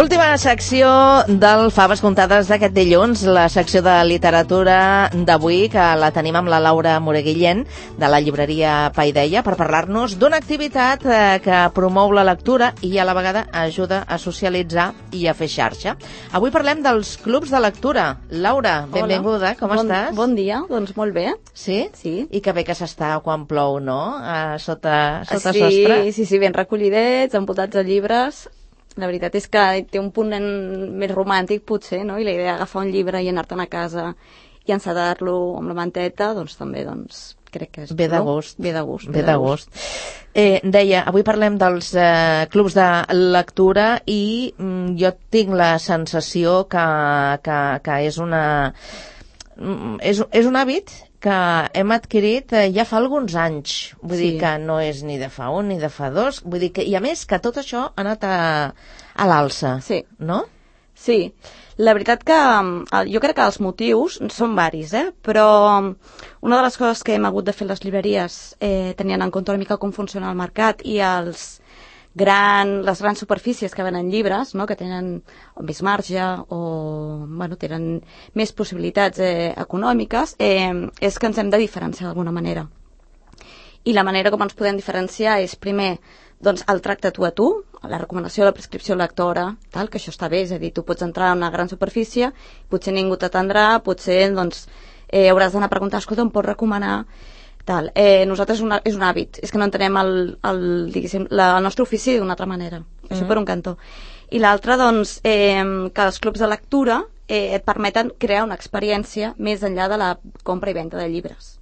Última secció del Faves Comptades d'aquest dilluns, la secció de literatura d'avui, que la tenim amb la Laura Moreguillén, de la llibreria Paideia, per parlar-nos d'una activitat que promou la lectura i a la vegada ajuda a socialitzar i a fer xarxa. Avui parlem dels clubs de lectura. Laura, benvinguda, com estàs? Bon dia, doncs molt bé. Sí? Sí. I que bé que s'està quan plou, no? Sota sostre. Sí, ben recollidets, envoltats de llibres. La veritat és que té un punt més romàntic, potser, no? I la idea d'agafar un llibre i anar-te'n a casa i encetar-lo amb la manteta, doncs també, crec que és... Ve de gust. Ve de gust. Deia, avui parlem dels clubs de lectura i jo tinc la sensació que és un hàbit que hem adquirit ja fa alguns anys. Vull dir que no és ni de fa un ni de fa dos. Vull dir que, i a més, que tot això ha anat a l'alça, no? Sí. La veritat que jo crec que els motius són varis, però una de les coses que hem hagut de fer les llibreries, tenint en compte una mica com funciona el mercat i les grans superfícies que venen llibres, no? Que tenen més marge o tenen més possibilitats econòmiques, és que ens hem de diferenciar d'alguna manera. I la manera com ens podem diferenciar és, primer, el tracte tu a tu, la recomanació, la prescripció lectora, que això està bé, és a dir, tu pots entrar a una gran superfície, potser ningú t'atendrà, potser hauràs d'anar a preguntar, escolta, em pots recomanar... Nosaltres és un hàbit, és que no entenem el nostre ofici d'una altra manera, això per un cantó. I l'altre, que els clubs de lectura et permeten crear una experiència més enllà de la compra i venda de llibres.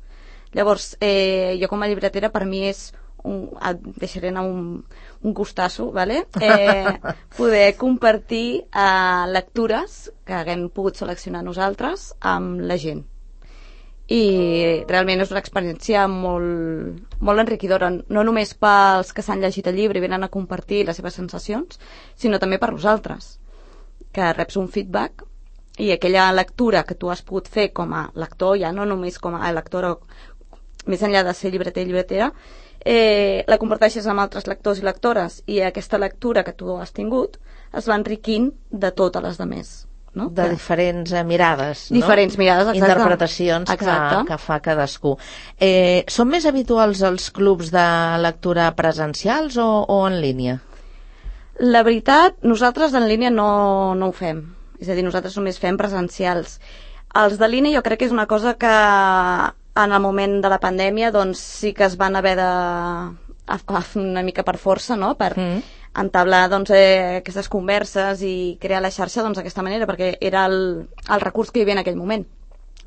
Llavors, jo com a llibretera, per mi és et deixaré anar un gustasso, poder compartir lectures que haguem pogut seleccionar nosaltres amb la gent. I realment és una experiència molt enriquidora, no només pels que s'han llegit el llibre i venen a compartir les seves sensacions, sinó també per nosaltres, que reps un feedback i aquella lectura que tu has pogut fer com a lector, ja no només com a lectora, més enllà de ser llibreter i llibretera, la comparteixes amb altres lectors i lectores i aquesta lectura que tu has tingut es va enriquint de totes les demés. No? De diferents mirades, no? Diferents mirades, exacte. Interpretacions que fa cadascú. Són més habituals els clubs de lectura presencials o en línia? La veritat, nosaltres en línia no ho fem. És a dir, nosaltres només fem presencials. Els de línia jo crec que és una cosa que en el moment de la pandèmia sí que es van haver de una mica per força, no? Per entablar aquestes converses i crear la xarxa d'aquesta manera, perquè era el recurs que hi havia en aquell moment.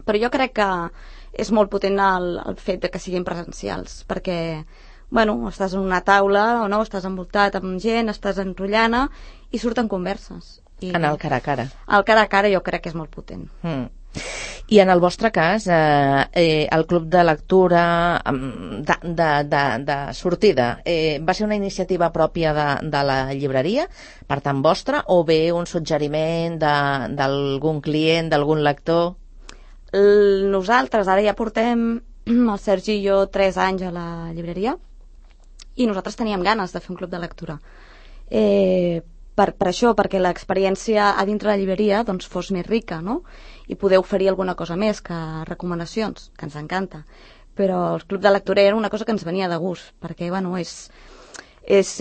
Però jo crec que és molt potent el fet de que siguin presencials, perquè estàs en una taula o no, estàs envoltat amb gent, estàs enrotllant i surten converses. En el cara a cara. El cara a cara jo crec que és molt potent. I en el vostre cas, el club de lectura de sortida, va ser una iniciativa pròpia de la llibreria, per tant vostra, o bé un suggeriment d'algun client, d'algun lector? Nosaltres ara ja portem, el Sergi i jo, 3 anys a la llibreria i nosaltres teníem ganes de fer un club de lectura. Per això, perquè l'experiència a dintre la llibreria fos més rica, no? I poder oferir alguna cosa més que recomanacions, que ens encanta. Però el club de lectura era una cosa que ens venia de gust, perquè és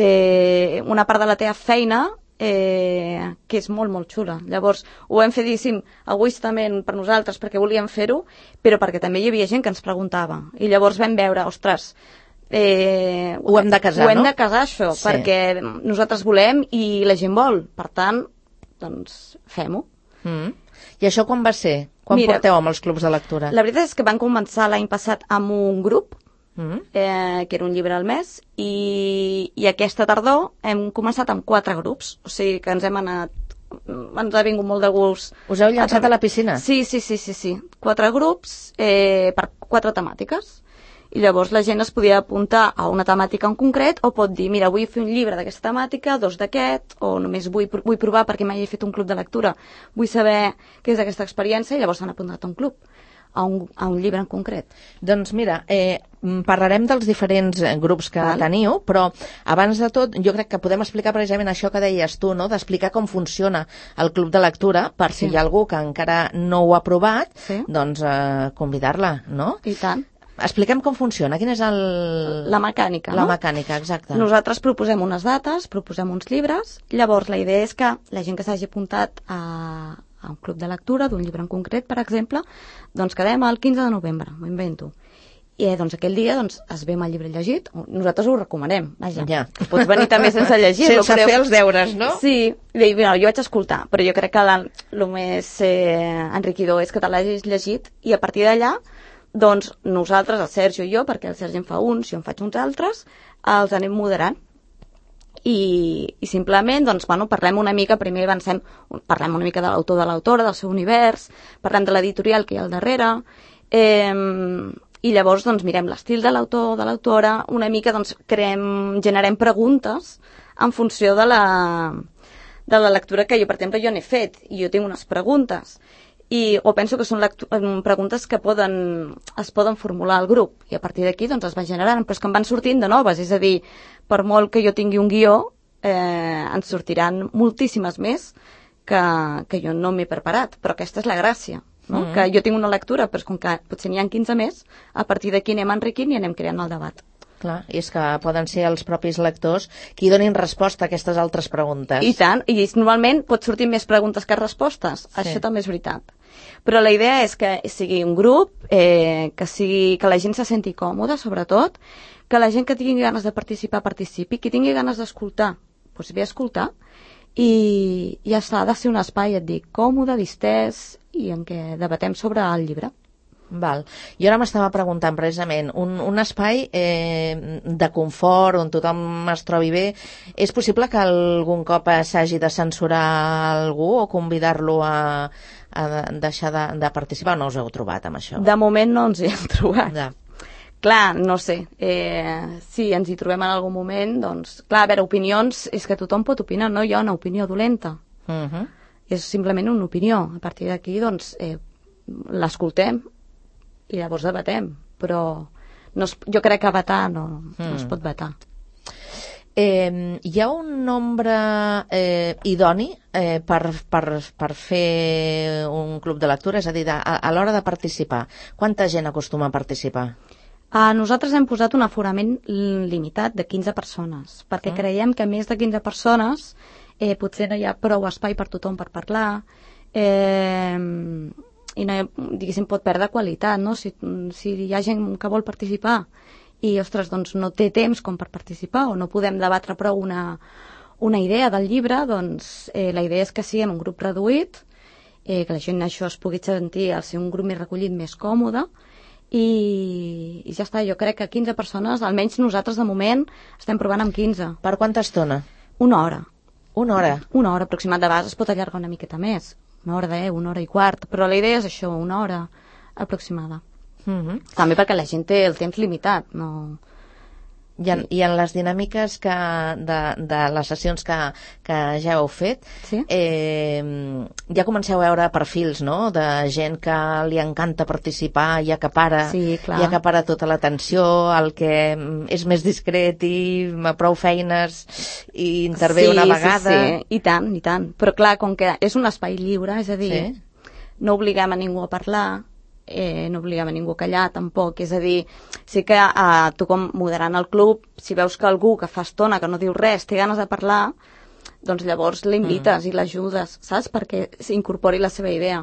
una part de la teva feina que és molt, molt xula. Llavors, ho hem fet, egoistament per nosaltres, perquè volíem fer-ho, però perquè també hi havia gent que ens preguntava. I llavors vam veure, ostres, ho hem de casar, no? Ho hem de casar, això, perquè nosaltres volem i la gent vol. Per tant, fem-ho. I això quan va ser? Quan porteu amb els clubs de lectura? La veritat és que van començar l'any passat amb un grup, que era un llibre al mes, i aquesta tardor hem començat amb 4 grups. O sigui que ens ha vingut molt de gust. Us heu llançat a la piscina? Sí. 4 grups per 4 temàtiques. I llavors la gent es podia apuntar a una temàtica en concret o pot dir, mira, vull fer un llibre d'aquesta temàtica, 2 d'aquest, o només vull provar perquè mai he fet un club de lectura, vull saber què és aquesta experiència, i llavors s'han apuntat a un club. a un llibre en concret. Doncs mira, parlarem dels diferents grups que teniu, però abans de tot jo crec que podem explicar precisament això que deies tu, no? D'explicar com funciona el club de lectura, per si hi ha algú que encara no ho ha provat, doncs convidar-la, no? I tant. Expliquem com funciona, quina és la mecànica, no? La mecànica, exacte. Nosaltres proposem unes dates, proposem uns llibres, llavors la idea és que la gent que s'hagi apuntat a un club de lectura d'un llibre en concret, per exemple, doncs quedem el 15 de novembre, m'ho invento. I doncs aquell dia es ve amb el llibre llegit, nosaltres ho recomanem, vaja. Ja. Pots venir també sense llegir-lo. Sense fer els deures, no? Sí, jo vaig escoltar, però jo crec que el més enriquidor és que te l'hagis llegit i a partir d'allà doncs nosaltres, el Sergio i jo, perquè el Sergi en fa uns, jo en faig uns altres, els anem moderant. I simplement, doncs, parlem una mica, primer parlem una mica de l'autor, de l'autora, del seu univers, parlem de l'editorial que hi ha al darrere, i llavors, doncs, mirem l'estil de l'autor, de l'autora, una mica, doncs, generem preguntes en funció de la lectura que jo, per exemple, n'he fet, i jo tinc unes preguntes, o penso que són preguntes que es poden formular al grup i a partir d'aquí doncs es va generant, però és que em van sortint de noves, és a dir, per molt que jo tingui un guió ens sortiran moltíssimes més que jo no m'he preparat, però aquesta és la gràcia, no? Que jo tinc una lectura, però com que potser n'hi ha 15 més, a partir d'aquí anem enriquint i anem creant el debat. Clar, i és que poden ser els propis lectors qui donin resposta a aquestes altres preguntes. I tant, i normalment pot sortir més preguntes que respostes, això també és veritat. Però la idea és que sigui un grup, que la gent se senti còmoda, sobretot, que la gent que tingui ganes de participar, participi, qui tingui ganes d'escoltar, doncs ve a escoltar, i ja està, ha de ser un espai, et dic, còmode, distès, i en què debatem sobre el llibre. Val. Jo ara m'estava preguntant precisament, un espai de confort on tothom es trobi bé, és possible que algun cop s'hagi de censurar algú o convidar-lo a deixar de participar? No us heu trobat amb això? De moment no ens hi hem trobat. Ja. Clar, no sé, si ens hi trobem en algun moment, doncs, clar, a veure, opinions, és que tothom pot opinar, no hi ha una opinió dolenta. És simplement una opinió. A partir d'aquí, doncs, l'escoltem i llavors debatem, però jo crec que vetar no es pot vetar. Hi ha un nombre idoni per fer un club de lectura, és a dir, a l'hora de participar. Quanta gent acostuma a participar? Nosaltres hem posat un aforament limitat de 15 persones, perquè creiem que més de 15 persones potser no hi ha prou espai per tothom per parlar, i no, diguéssim, pot perdre qualitat, no? Si hi ha gent que vol participar i, ostres, doncs no té temps com per participar o no podem debatre prou una idea del llibre, doncs la idea és que siguem un grup reduït, que la gent això es pugui sentir al ser un grup més recollit, més còmode, i ja està. Jo crec que 15 persones, almenys nosaltres de moment estem provant amb 15. Per quanta estona? Una hora. Una hora? Una hora aproximat, de vegades es pot allargar una miqueta més. Una hora una hora i quart, però la idea és això, una hora aproximada. També perquè la gent té el temps limitat, no... I en les dinàmiques de les sessions que ja heu fet, ja comenceu a veure perfils, no?, de gent que li encanta participar i acapara tota l'atenció, el que és més discret i prou feines i intervé una vegada. Sí, i tant. Però clar, com que és un espai lliure, és a dir, no obliguem a ningú a parlar, no obliguem a ningú a callar tampoc, és a dir, sí que tu com moderant el club, si veus que algú que fa estona que no diu res té ganes de parlar, doncs llavors l'invites i l'ajudes, saps? Perquè s'incorpori la seva idea.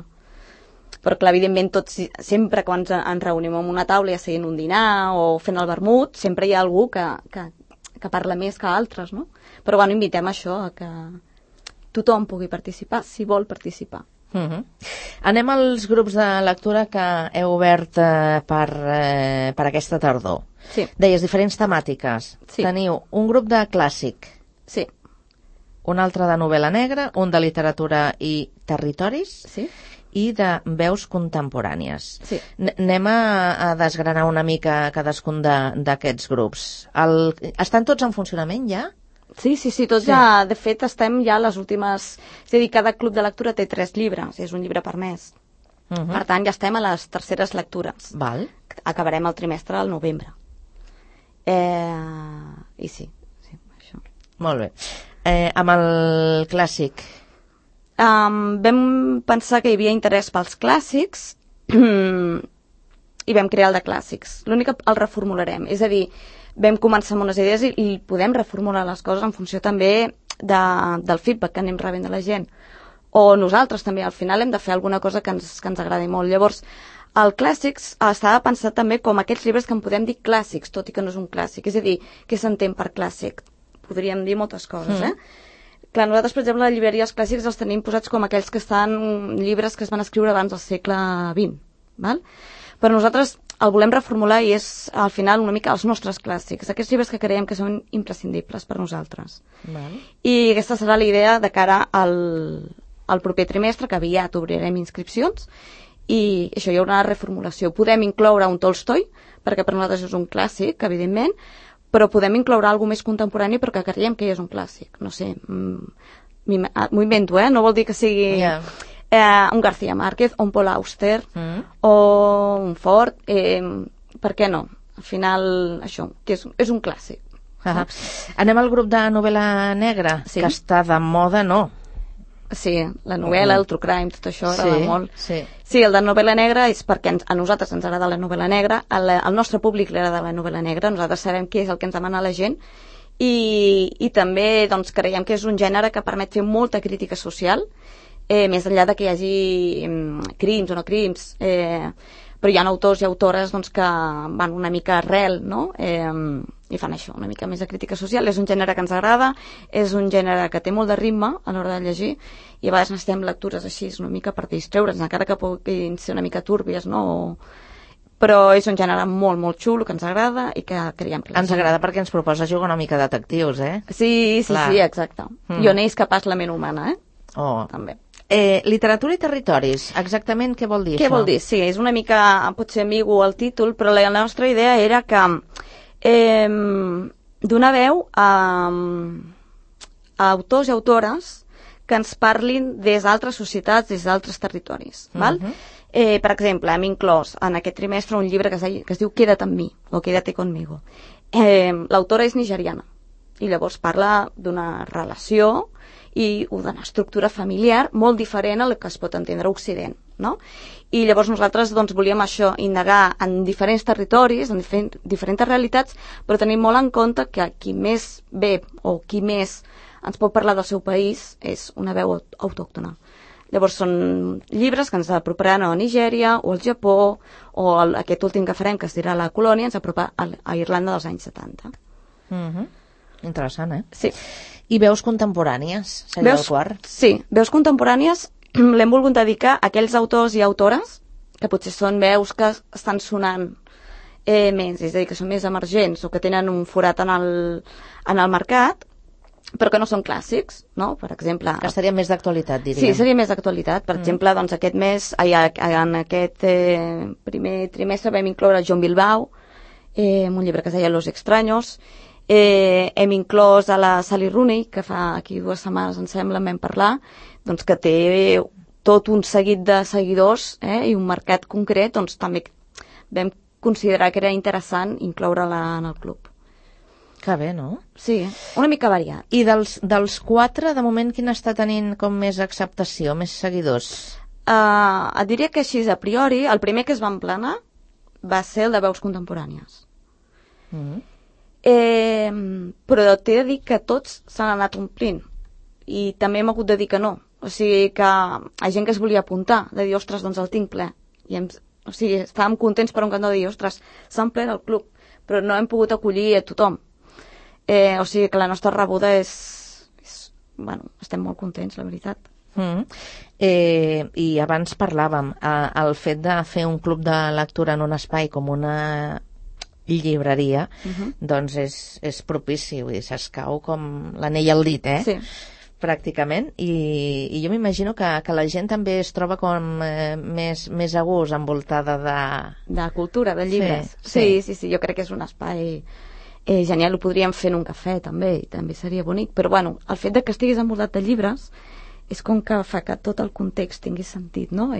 Però clar, evidentment tots, sempre quan ens reunim en una taula, ja sigui en un dinar o fent el vermut, sempre hi ha algú que parla més que altres, no? Però bueno, invitem això, a que tothom pugui participar, si vol participar. Anem als grups de lectura que heu obert per aquesta tardor. Sí. Deies diferents temàtiques. Sí. Teniu un grup de clàssic, sí, un altre de novel·la negra, un de literatura i territoris, sí, i de veus contemporànies. Sí. Anem a desgranar una mica cadascun d'aquests grups. Estan tots en funcionament ja? Sí, tots ja, de fet, estem ja a les últimes... És a dir, cada club de lectura té 3 llibres, és un llibre per mes. Per tant, ja estem a les terceres lectures. Val. Acabarem el trimestre al novembre. I sí, això. Molt bé. Amb el clàssic? Vam pensar que hi havia interès pels clàssics i vam crear el de clàssics. L'únic que el reformularem. És a dir, vam començar amb unes idees i podem reformular les coses en funció també del feedback que anem rebent de la gent. O nosaltres també, al final hem de fer alguna cosa que ens agradi molt. Llavors, el clàssics estava pensat també com aquells llibres que en podem dir clàssics, tot i que no és un clàssic. És a dir, què s'entén per clàssic? Podríem dir moltes coses, Clar, nosaltres, per exemple, a la llibreria els clàssics els tenim posats com aquells que estan llibres que es van escriure abans del segle XX, val? Però nosaltres el volem reformular i és, al final, una mica els nostres clàssics, aquests llibres que creiem que són imprescindibles per nosaltres. Val. I aquesta serà la idea de cara al proper trimestre, que aviat obrirem inscripcions, i això, hi haurà una reformulació. Podem incloure un Tolstoi, perquè per nosaltres és un clàssic, evidentment, però podem incloure alguna més contemporani perquè creiem que és un clàssic. No sé, m'ho invento, no vol dir que sigui un García Márquez, o un Paul Auster, o un Ford, per què no? Al final, això, que és un clàssic. Anem al grup de novel·la negra, que està de moda, no? Sí, la novel·la, el true crime, tot això agrada molt. Sí, el de novel·la negra és perquè a nosaltres ens agrada la novel·la negra, al nostre públic li agrada la novel·la negra, nosaltres sabem què és el que ens demana la gent i també doncs, creiem que és un gènere que permet fer molta crítica social, més enllà de que hi hagi crims o no crims, però hi ha autors i autores doncs, que van una mica arrel, no? I fan això, una mica més de crítica social. És un gènere que ens agrada, és un gènere que té molt de ritme a l'hora de llegir i a vegades necessitem lectures així una mica per distreure'ns, encara que puguin ser una mica túrbies, no? Però és un gènere molt, molt xulo, que ens agrada i que creiem que... Ens agrada perquè ens proposa jugar una mica de detectius, Sí, exacte. I on és capaç la ment humana, també. Literatura i territoris, exactament què vol dir això? Què vol dir? Sí, és una mica, potser ambigu el títol, però la nostra idea era que donar veu a autors i autores que ens parlin des d'altres societats, des d'altres territoris. Val? Per exemple, hem inclòs en aquest trimestre un llibre que es diu Quédate amb mi, o Quédate conmigo. L'autora és nigeriana i llavors parla d'una relació i d'una estructura familiar molt diferent a la que es pot entendre a Occident, no? I llavors nosaltres doncs, volíem això, indagar en diferents territoris, en diferents realitats, però tenim molt en compte que qui més ve o qui més ens pot parlar del seu país és una veu autòctona. Llavors són llibres que ens aproparan a Nigèria o al Japó o aquest últim que farem, que es dirà La Colònia, ens apropa a Irlanda dels anys 70. Interessant, Sí. I veus contemporànies, seria el quart? Sí, veus contemporànies l'hem volgut dedicar a aquells autors i autores que potser són veus que estan sonant més, és a dir, que són més emergents o que tenen un forat en el mercat, però que no són clàssics, no? Per exemple... Que estarien més d'actualitat, diríem. Sí, seria més d'actualitat. Per exemple, doncs aquest mes, en aquest primer trimestre vam incloure John Bilbao, un llibre que es deia Los extraños. Hem inclòs a la Sally Rooney, que fa aquí 2 setmanes, em sembla, en vam parlar, doncs que té tot un seguit de seguidors i un mercat concret, doncs també vam considerar que era interessant incloure-la en el club. Que bé, no? Sí, una mica variat. I dels 4, de moment, quin està tenint com més acceptació, més seguidors? Et diria que així, a priori, el primer que es va emplenar va ser el de veus contemporànies. Però t'he de dir que tots s'han anat omplint i també hem hagut de dir que no, o sigui que hi ha gent que es volia apuntar, de dir, ostres, doncs el tinc ple i o sigui, estàvem contents per un cantó de dir, ostres, s'ha omplert el club, però no hem pogut acollir a tothom, o sigui que la nostra rebuda bueno, estem molt contents, la veritat. I abans parlàvem el fet de fer un club de lectura en un espai com una llibreria, doncs és propici, vull dir, s'escau com l'anell al dit, Sí. Pràcticament, i jo m'imagino que la gent també es troba com més a gust, envoltada de cultura, de llibres. Sí, jo crec que és un espai genial, ho podríem fer en un cafè també, i també seria bonic, però bueno, el fet de que estiguis envoltat de llibres és com que fa que tot el context tingui sentit, no?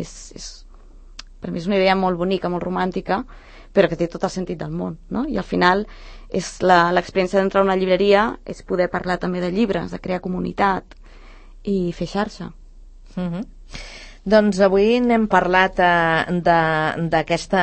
per mi és una idea molt bonica, molt romàntica, però que té tot el sentit del món, no? I al final és l'experiència d'entrar a una llibreria és poder parlar també de llibres, de crear comunitat i fer xarxa. Doncs avui n'hem parlat d'aquesta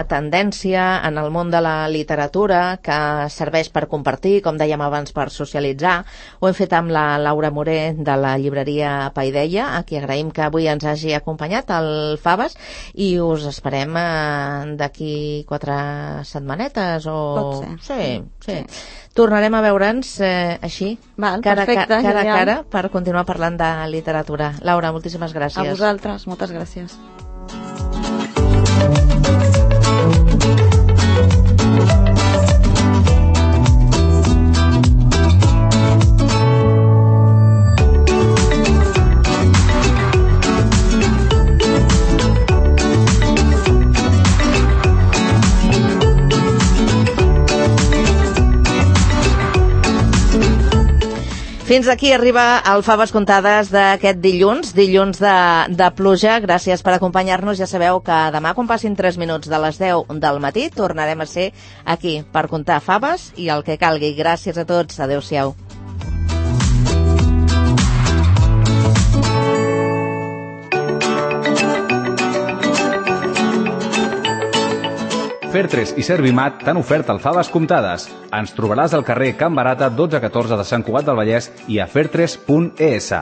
tendència en el món de la literatura que serveix per compartir, com dèiem abans, per socialitzar. Ho hem fet amb la Laura Moré de la llibreria Paideia, a qui agraïm que avui ens hagi acompanyat al Faves, i us esperem d'aquí 4 setmanetes o... Pot ser. Sí. Tornarem a veure'ns així, cara a cara, per continuar parlant de literatura. Laura, moltíssimes gràcies. A vosaltres, moltes gràcies. Fins aquí arriba el Faves Contades d'aquest dilluns de pluja. Gràcies per acompanyar-nos. Ja sabeu que demà, quan passin 3 minuts de les 10 del matí, tornarem a ser aquí per contar faves i el que calgui. Gràcies a tots. Adéu-siau. Fer3 i Servimat t'han ofert el Faves Comptades. Ens trobaràs al carrer Can Barata 1214 de Sant Cugat del Vallès i a fer3.es.